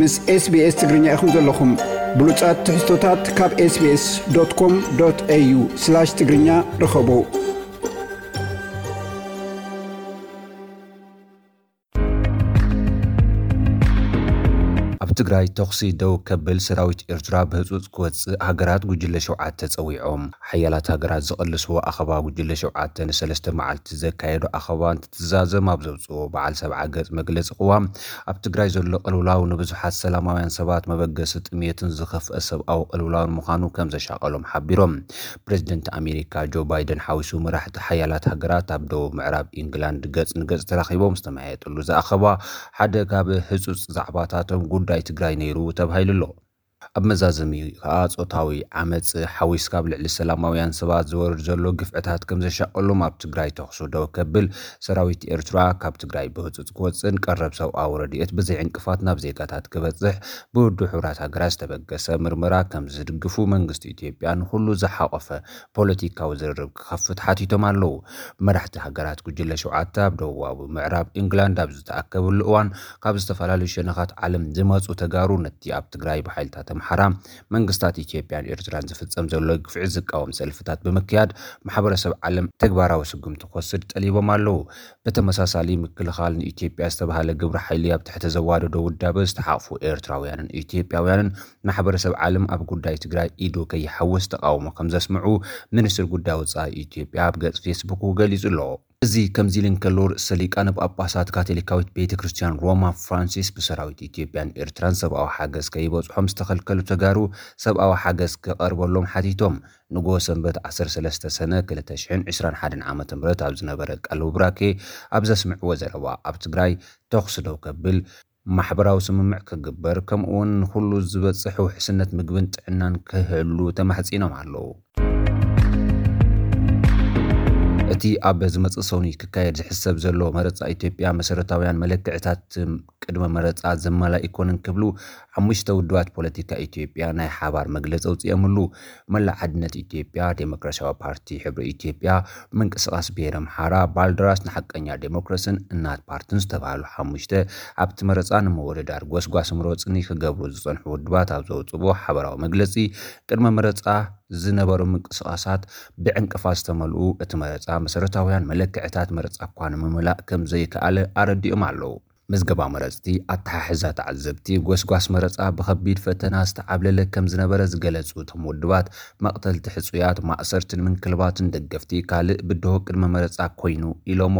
ምስ SBS ትግርኛ ኢኹም ዘለኹም። ብሉጻት ትሕዝቶታት ካብ SBS.com.au/ትግርኛ ርኸቡ። ኣብ ትግራይ ተኹሲ ደው ከብል ሰራዊት ኤርትራ ብህጹጽ ክወጽእ ሃገራት ጉጅለ ሸውዓተ ጸዊዖም። ሓያላት ሃገራት ዝቐለስዎ ኣኸባ ጉጅለ ሸውዓተ ንሰለስተ መዓልቲ ዘካየዶ ኣኸባ እንትትዛዘም ኣብ ዘውጽኦ በዓል ሰብዓ ገጽ መግለጺ ቅዋም፣ ኣብ ትግራይ ዘሎ ቅልውላው ንብዙሓት ሰላማውያን ሰባት መበገሲ ጥሜትን ዝኸፍአ ሰብኣዊ ቅልውላውን ምዃኑ ከም ዘሻቐሎም ሓቢሮም። ፕሬዚደንት ኣሜሪካ ጆ ባይደን ሓዊሱ መራሕቲ ሓያላት ሃገራት ኣብ ደቡብ ምዕራብ ኢንግላንድ ገጽ ንገጽ ተራኺቦም ዝተመያየጥሉ ዝኣኸባ ሓደ ካብ ህጹጽ ዛዕባታቶም ጉዳይ ትግራይ ነይሩ ተባሂሉ ኣሎ። ኣብ መዛዘሚ ከኣ ጾታዊ ዓመጽ ሓዊስካ ኣብ ልዕሊ ሰላማውያን ሰባት ዝወርድ ዘሎ ግፍዕታት ከም ዘሻቐሎም ኣብ ትግራይ ተኹሱ ደው ከብል ሰራዊት ኤርትራ ካብ ትግራይ ብህጹጽ ክወጽእን ቀረብ ሰብኣዊ ረድኤት ብዘይ ዕንቅፋት ናብ ዜጋታት ክበጽሕ ብውድብ ሕቡራት ሃገራት ዝተበገሰ ምርመራ ከም ዝድግፉ መንግስቲ ኢትዮጵያ ንኹሉ ዝሓቖፈ ፖለቲካዊ ዝርርብ ክኸፍት ሓቲቶም ኣለዉ። መራሕቲ ሃገራት ጉጅለ ሸውዓተ ኣብ ደቡባዊ ምዕራብ ኢንግላንድ ኣብ ዝተኣከብሉ እዋን ካብ ዝተፈላለዩ ሸነኻት ዓለም ዝመጹ ተጋሩ ነቲ ኣብ ትግራይ ብሓይልታት ኣምሓራ መንግስታት ኢትዮጵያን ኤርትራን ዝፍጸም ዘሎ ግፍዒ ዝቃወም ሰልፍታት ብምክያድ ማሕበረሰብ ዓለም ተግባራዊ ስጉምቲ ክወስድ ጠሊቦም ኣለዉ። ብተመሳሳሊ ምክልኻል ንኢትዮጵያ ዝተባህለ ግብረ ሓይሊ ኣብ ትሕቲ ዘዋደዶ ውዳበ ዝተሓቕፉ ኤርትራውያንን ኢትዮጵያውያንን ማሕበረሰብ ዓለም ኣብ ጉዳይ ትግራይ ኢዱ ከይሓውስ ተቃውሞ ከም ዘስምዑ ሚኒስትር ጉዳይ ወጻኢ ኢትዮጵያ ኣብ ገጽ ፌስቡክ ገሊጹ ኣሎ። እዚ ከምዚ ኢሉ እንከሎ ርእሰ ሊቃነ ጳጳሳት ካቶሊካዊት ቤተ ክርስቲያን ሮማ ፍራንሲስ ብሰራዊት ኢትዮጵያን ኤርትራን ሰብኣዊ ሓገዝ ከይበጽሖም ዝተኸልከሉ ተጋሩ ሰብኣዊ ሓገዝ ክቐርበሎም ሓቲቶም። ንግሆ ሰንበት ዓሰርተ ሰለስተ ሰነ ክልተ ሽሕን ዕስራን ሓደን ዓመተ ምህረት ኣብ ዝነበረ ቃለ ቡራኬ ኣብ ዘስምዕዎ ዘረባ ኣብ ትግራይ ተኹሲ ደው ከብል ማሕበራዊ ስምምዕ ክግበር ከምኡውን ንኹሉ ዝበጽሕ ውሕስነት ምግብን ጥዕናን ክህሉ ተማሕጺኖም ኣለዉ። እቲ ኣብ ዝመጽእ ሰኑይ ክካየድ ዝሕሰብ ዘሎ መረጻ ኢትዮጵያ መሰረታውያን መለክዕታት ቅድመ መረጻ ዘማልእ ኣይኮነን ክብሉ ሓሙሽተ ውድባት ፖለቲካ ኢትዮጵያ ናይ ሓባር መግለጺ ኣውጺኦምሉ። መላእ ሓድነት ኢትዮጵያ፣ ዴሞክራሲያዊ ፓርቲ፣ ሕብሪ ኢትዮጵያ፣ ምንቅስቃስ ብሄረ ኣምሓራ፣ ባልደራስ ንሓቀኛ ዴሞክራስን እናት ፓርትን ዝተባህሉ ሓሙሽተ ኣብቲ መረጻ ንምውድዳር ጎስጓስ ምረጽኒ ክገብሩ ዝጸንሑ ውድባት ኣብ ዘውጽእዎ ሓበራዊ መግለጺ ቅድመ መረጻ ዝነበሩ ምንቅስቃሳት ብዕንቅፋት ዝተመልኡ፣ እቲ መረጻ መሰረታውያን መለክዕታት መረጻ እኳ ንምምላእ ከም ዘይከኣለ ኣረዲኦም ኣለዉ። ምዝገባ መረጽቲ፣ ኣተሓሕዛ ተዓዘብቲ፣ ጎስጓስ መረጻ ብኸቢድ ፈተና ዝተዓብለለ ከም ዝነበረ ዝገለጹ እቶም ውድባት፣ መቕተልቲ ሕጹያት፣ ማእሰርትን ምንክልባትን ደገፍቲ ካልእ ብድሆ ቅድመ መረጻ ኮይኑ ኢሎሞ።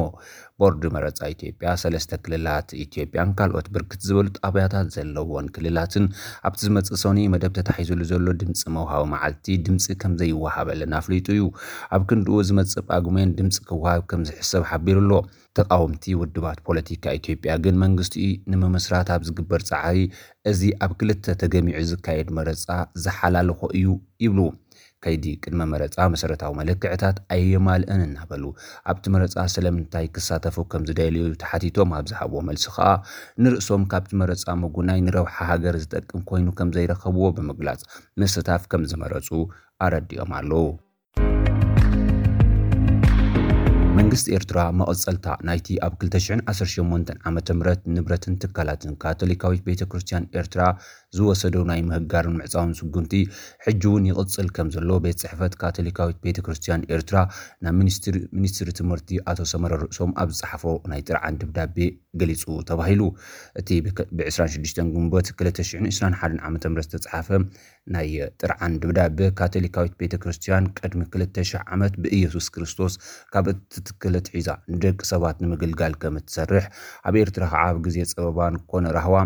ቦርድ መረጻ ኢትዮጵያ፣ ሰለስተ ክልላት ኢትዮጵያን ካልኦት ብርክት ዝበሉ ጣብያታት ዘለዎን ክልላትን ኣብቲ ዝመጽእ ሰኑይ መደብ ተታሒዙሉ ዘሎ ድምጺ መውሃቢ መዓልቲ ድምጺ ከም ዘይወሃበለን ኣፍሊጡ እዩ። ኣብ ክንድኡ ዝመጽእ ጳጉሜን ድምጺ ክወሃብ ከም ዝሕሰብ ሓቢሩ ኣሎ። ተቓወምቲ ውድባት ፖለቲካ ኢትዮጵያ ግን መንግስቲ ንምምስራት ኣብ ዝግበር ጻዕሪ እዚ ኣብ ክልተ ተገሚዑ ዝካየድ መረጻ ዝሓላልኾ እዩ ይብሉ። ከይዲ ቅድመ መረጻ መሰረታዊ መለክዕታት ኣየማልእን እናበሉ ኣብቲ መረጻ ስለምንታይ ክሳተፉ ከም ዝደልዩ ተሓቲቶም ኣብ ዝሃብዎ መልሲ ከኣ ንርእሶም ካብቲ መረጻ ምጉናይ ንረብሓ ሃገር ዝጠቅም ኮይኑ ከም ዘይረኸብዎ ብምግላጽ ምስታፍ ከም ዝመረጹ ኣረዲኦም ኣለዉ። መንግስቲ ኤርትራ መቐጸልታ ናይቲ ኣብ ክልተ ሽሕን ዓሰርተ ሸሞንተን ዓመተ ምህረት ንብረትን ትካላትን ካቶሊካዊት ቤተ ክርስቲያን ኤርትራ ዝወሰዶ ናይ ምህጋርን ምዕጻውን ስጉምቲ ሕጂ እውን ይቕጽል ከም ዘሎ ቤት ጽሕፈት ካቶሊካዊት ቤተ ክርስቲያን ኤርትራ ናብ ሚኒስትሪ፣ ሚኒስትሪ ትምህርቲ ኣቶ ሰመረ ርእሶም ኣብ ዝጸሓፎ ናይ ጥርዓን ደብዳቤ ገሊጹ ተባሂሉ። እቲ ብክ-፣ ብ ዕስራን ሽዱሽተን ግንቦት ክልተ ሽሕን ዕስራን ሓደን ዓመተ ምህረት ዝተጻሓፈ ናይ ጥርዓን ደብዳቤ ካቶሊካዊት ቤተ ክርስቲያን ቅድሚ ክልተ ሽሕ ዓመት ብኢየሱስ ክርስቶስ ካብ እትትክል ኣትሒዛ ንደቂ ሰባት ንምግልጋል ከም እትሰርሕ ኣብ ኤርትራ ከዓ ኣብ ግዜ ጸበባን ኮነ ራህዋ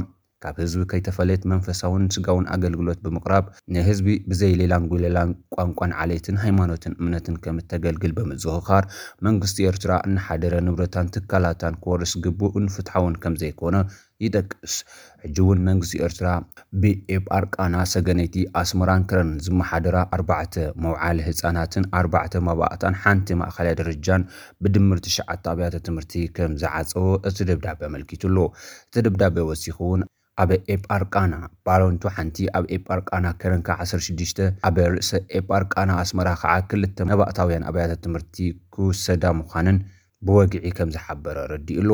ካብ ህዝቢ ከይተፈለየት መንፈሳውን ስጋውን ኣገልግሎት ብምቕራብ ንህዝቢ ብዘይ ሌላን ጉለላን ቋንቋን ዓሌትን ሃይማኖትን እምነትን ከም እተገልግል ብምዝኽኻር መንግስቲ ኤርትራ እናሓደረ ንብረታን ትካላታን ክወርስ ግቡእን ፍትሓውን ከም ዘይኮነ ይጠቅስ። ሕጂ እውን መንግስቲ ኤርትራ ብኤጳርቃና ሰገነይቲ ኣስመራን ከረን ዝመሓደራ ኣርባዕተ መውዓሊ ህጻናትን ኣርባዕተ መባእታን ሓንቲ ማእኸላይ ደረጃን ብድምር ትሽዓተ ኣብያተ ትምህርቲ ከም ዝዓጸወ እቲ ደብዳቤ ኣመልኪቱ ኣሎ። እቲ ደብዳቤ ወሲኹ እውን ኣብ ኤጳርቃና ባረንቱ ሓንቲ፣ ኣብ ኤጳርቃና ከረን ከኣ ዓሰርተ ሽዱሽተ፣ ኣብ ርእሰ ኤጳርቃና ኣስመራ ከኣ ክልተ መባእታውያን ኣብያተ ትምህርቲ ክውሰዳ ምዃነን ብወግዒ ከም ዝሓበረ ረዲኡ ኣሎ።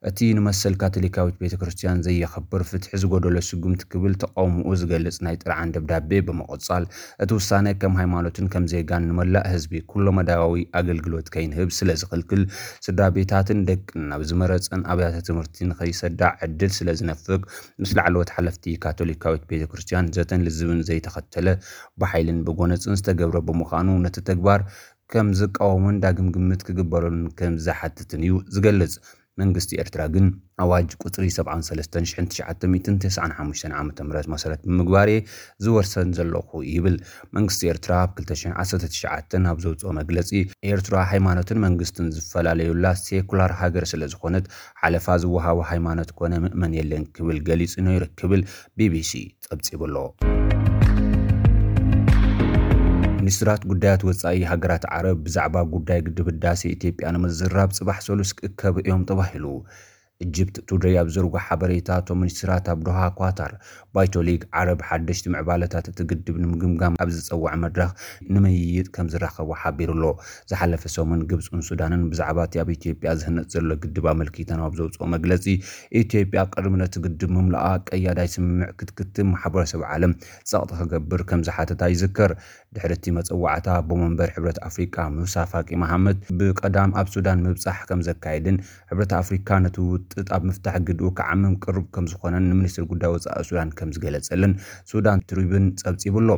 እቲ ንመሰል ካቶሊካዊት ቤተ ክርስቲያን ዘየኸብር፣ ፍትሒ ዝጎደሎ ስጉምቲ ክብል ተቓውሞኡ ዝገልጽ ናይ ጥርዓን ደብዳቤ ብምቕጻል፣ እቲ ውሳነ ከም ሃይማኖትን ከም ዜጋን ንመላእ ህዝቢ ኩሎ መዳያዊ ኣገልግሎት ከይንህብ ስለ ዝኽልክል፣ ስድራ ቤታትን ደቅን ናብ ዝመረጸን ኣብያተ ትምህርቲ ንኸይሰዳ ዕድል ስለ ዝነፍግ፣ ምስ ላዕለዎት ሓለፍቲ ካቶሊካዊት ቤተ ክርስቲያን ዘተን ልዝብን ዘይተኸተለ፣ ብሓይልን ብጎነጽን ዝተገብረ ብምዃኑ፣ ነቲ ተግባር ከም ዝቃወሙን ዳግም ግምት ክግበረሉን ከም ዝሓትትን እዩ ዝገልጽ። መንግስቲ ኤርትራ ግን ኣዋጅ ቁጽሪ ሰብዓን ሰለስተን ሽሕን ትሽዓተ ሚእትን ተስዓን ሓሙሽተን ዓመተ ምህረት መሰረት ብምግባር እየ ዝወርሰን ዘለኹ ይብል። መንግስቲ ኤርትራ ኣብ ክልተ ሽሕን ዓሰርተ ትሽዓተን ኣብ ዘውጽኦ መግለጺ፣ ኤርትራ ሃይማኖትን መንግስትን ዝፈላለዩላ ሴኩላር ሃገር ስለ ዝኾነት፣ ሓለፋ ዝወሃቦ ሃይማኖት ኮነ ምእመን የለን ክብል ገሊጹ ነይሩ ክብል ቢቢሲ ጸብጺቡ ኣሎ። ሚኒስትራት ጉዳያት ወጻኢ ሃገራት ዓረብ ብዛዕባ ጉዳይ ግድብ ህዳሴ ኢትዮጵያ ንምዝራብ ጽባሕ ሰሉስ ክእከቡ እዮም ተባሂሉ። ኢጅፕት ቱደይ ኣብ ዘርጎ ሓበሬታ፣ እቶም ሚኒስትራት ኣብ ዶሃ ኳታር ባይቶ ሊግ ዓረብ ሓደሽቲ ምዕባለታት እቲ ግድብ ንምግምጋም ኣብ ዝጸውዐ መድረኽ ንምይይጥ ከም ዝራኸቡ ሓቢሩ ኣሎ። ዝሓለፈ ሰሙን ግብጽን ሱዳንን ብዛዕባ እቲ ኣብ ኢትዮጵያ ዝህነጽ ዘሎ ግድብ ኣመልኪተን ኣብ ዘውጽኦ መግለጺ፣ ኢትዮጵያ ቅድሚ ነቲ ግድብ ምምላኣ ቀያዳይ ስምምዕ ክትክትም ማሕበረሰብ ዓለም ጸቕጢ ክገብር ከም ዝሓተታ ይዝከር። ድሕሪ እቲ መጸዋዕታ፣ ኣቦ መንበር ሕብረት ኣፍሪቃ ሙሳ ፋቂ መሓመድ ብቀዳም ኣብ ሱዳን ምብጻሕ ከም ዘካየድን፣ ሕብረት ኣፍሪካ ነቲ ውጥጥ ኣብ ምፍታሕ ግድኡ ክዓምም ቅሩብ ከም ዝኾነን ንሚኒስትሪ ጉዳይ ወጻኢ ሱዳን ከም ዝገለጸልን ሱዳን ትሪቡን ጸብጺቡ ኣሎ።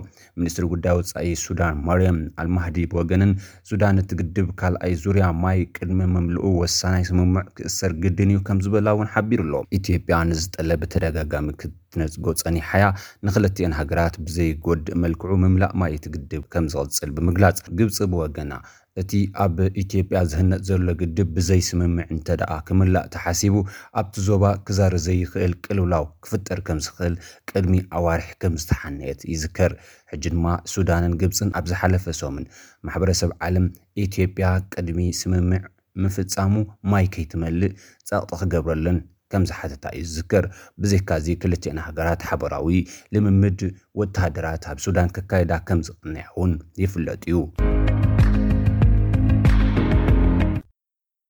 ሚኒስትሪ ጉዳይ ወጻኢ ሱዳን ማርያም ኣልማህዲ ብወገነን፣ ሱዳን እቲ ግድብ ካልኣይ ዙርያ ማይ ቅድሚ ምምልኡ ወሳናይ ስምምዕ ክእሰር ግድን እዩ ከም ዝበላ እውን ሓቢሩ ኣሎ። ኢትዮጵያ ንዝጠለ ብተደጋጋሚ ክትነጽጎ ጸኒሓያ፣ ንክልቲኤን ሃገራት ብዘይጎድእ መልክዑ ምምላእ ማይ እቲ ግድብ ከም ዝቕጽል ብምግላጽ፣ ግብጺ ብወገና፣ እቲ ኣብ ኢትዮጵያ ዝህነጽ ዘሎ ግድብ ብዘይ ስምምዕ እንተ ደኣ ክምላእ ተሓሲቡ፣ ኣብቲ ዞባ ክዛሪ ዘይኽእል ቅልውላው ክፍጠር ከም ዝኽእል ቅድሚ ኣዋርሕ ከም ዝተሓነየት ይዝከር። ሕጂ ድማ ሱዳንን ግብጽን ኣብ ዝሓለፈ ሰሙን ማሕበረሰብ ዓለም ኢትዮጵያ ቅድሚ ስምምዕ ምፍጻሙ ማይ ከይትመልእ ጸቕጢ ክገብረለን ከም ዝሓተታ እዩ ዝዝከር። ብዘይካዚ ክልቲኤን ሃገራት ሓበራዊ ልምምድ ወተሃደራት ኣብ ሱዳን ከካይዳ ከም ዝቕንያ እውን ይፍለጥ እዩ።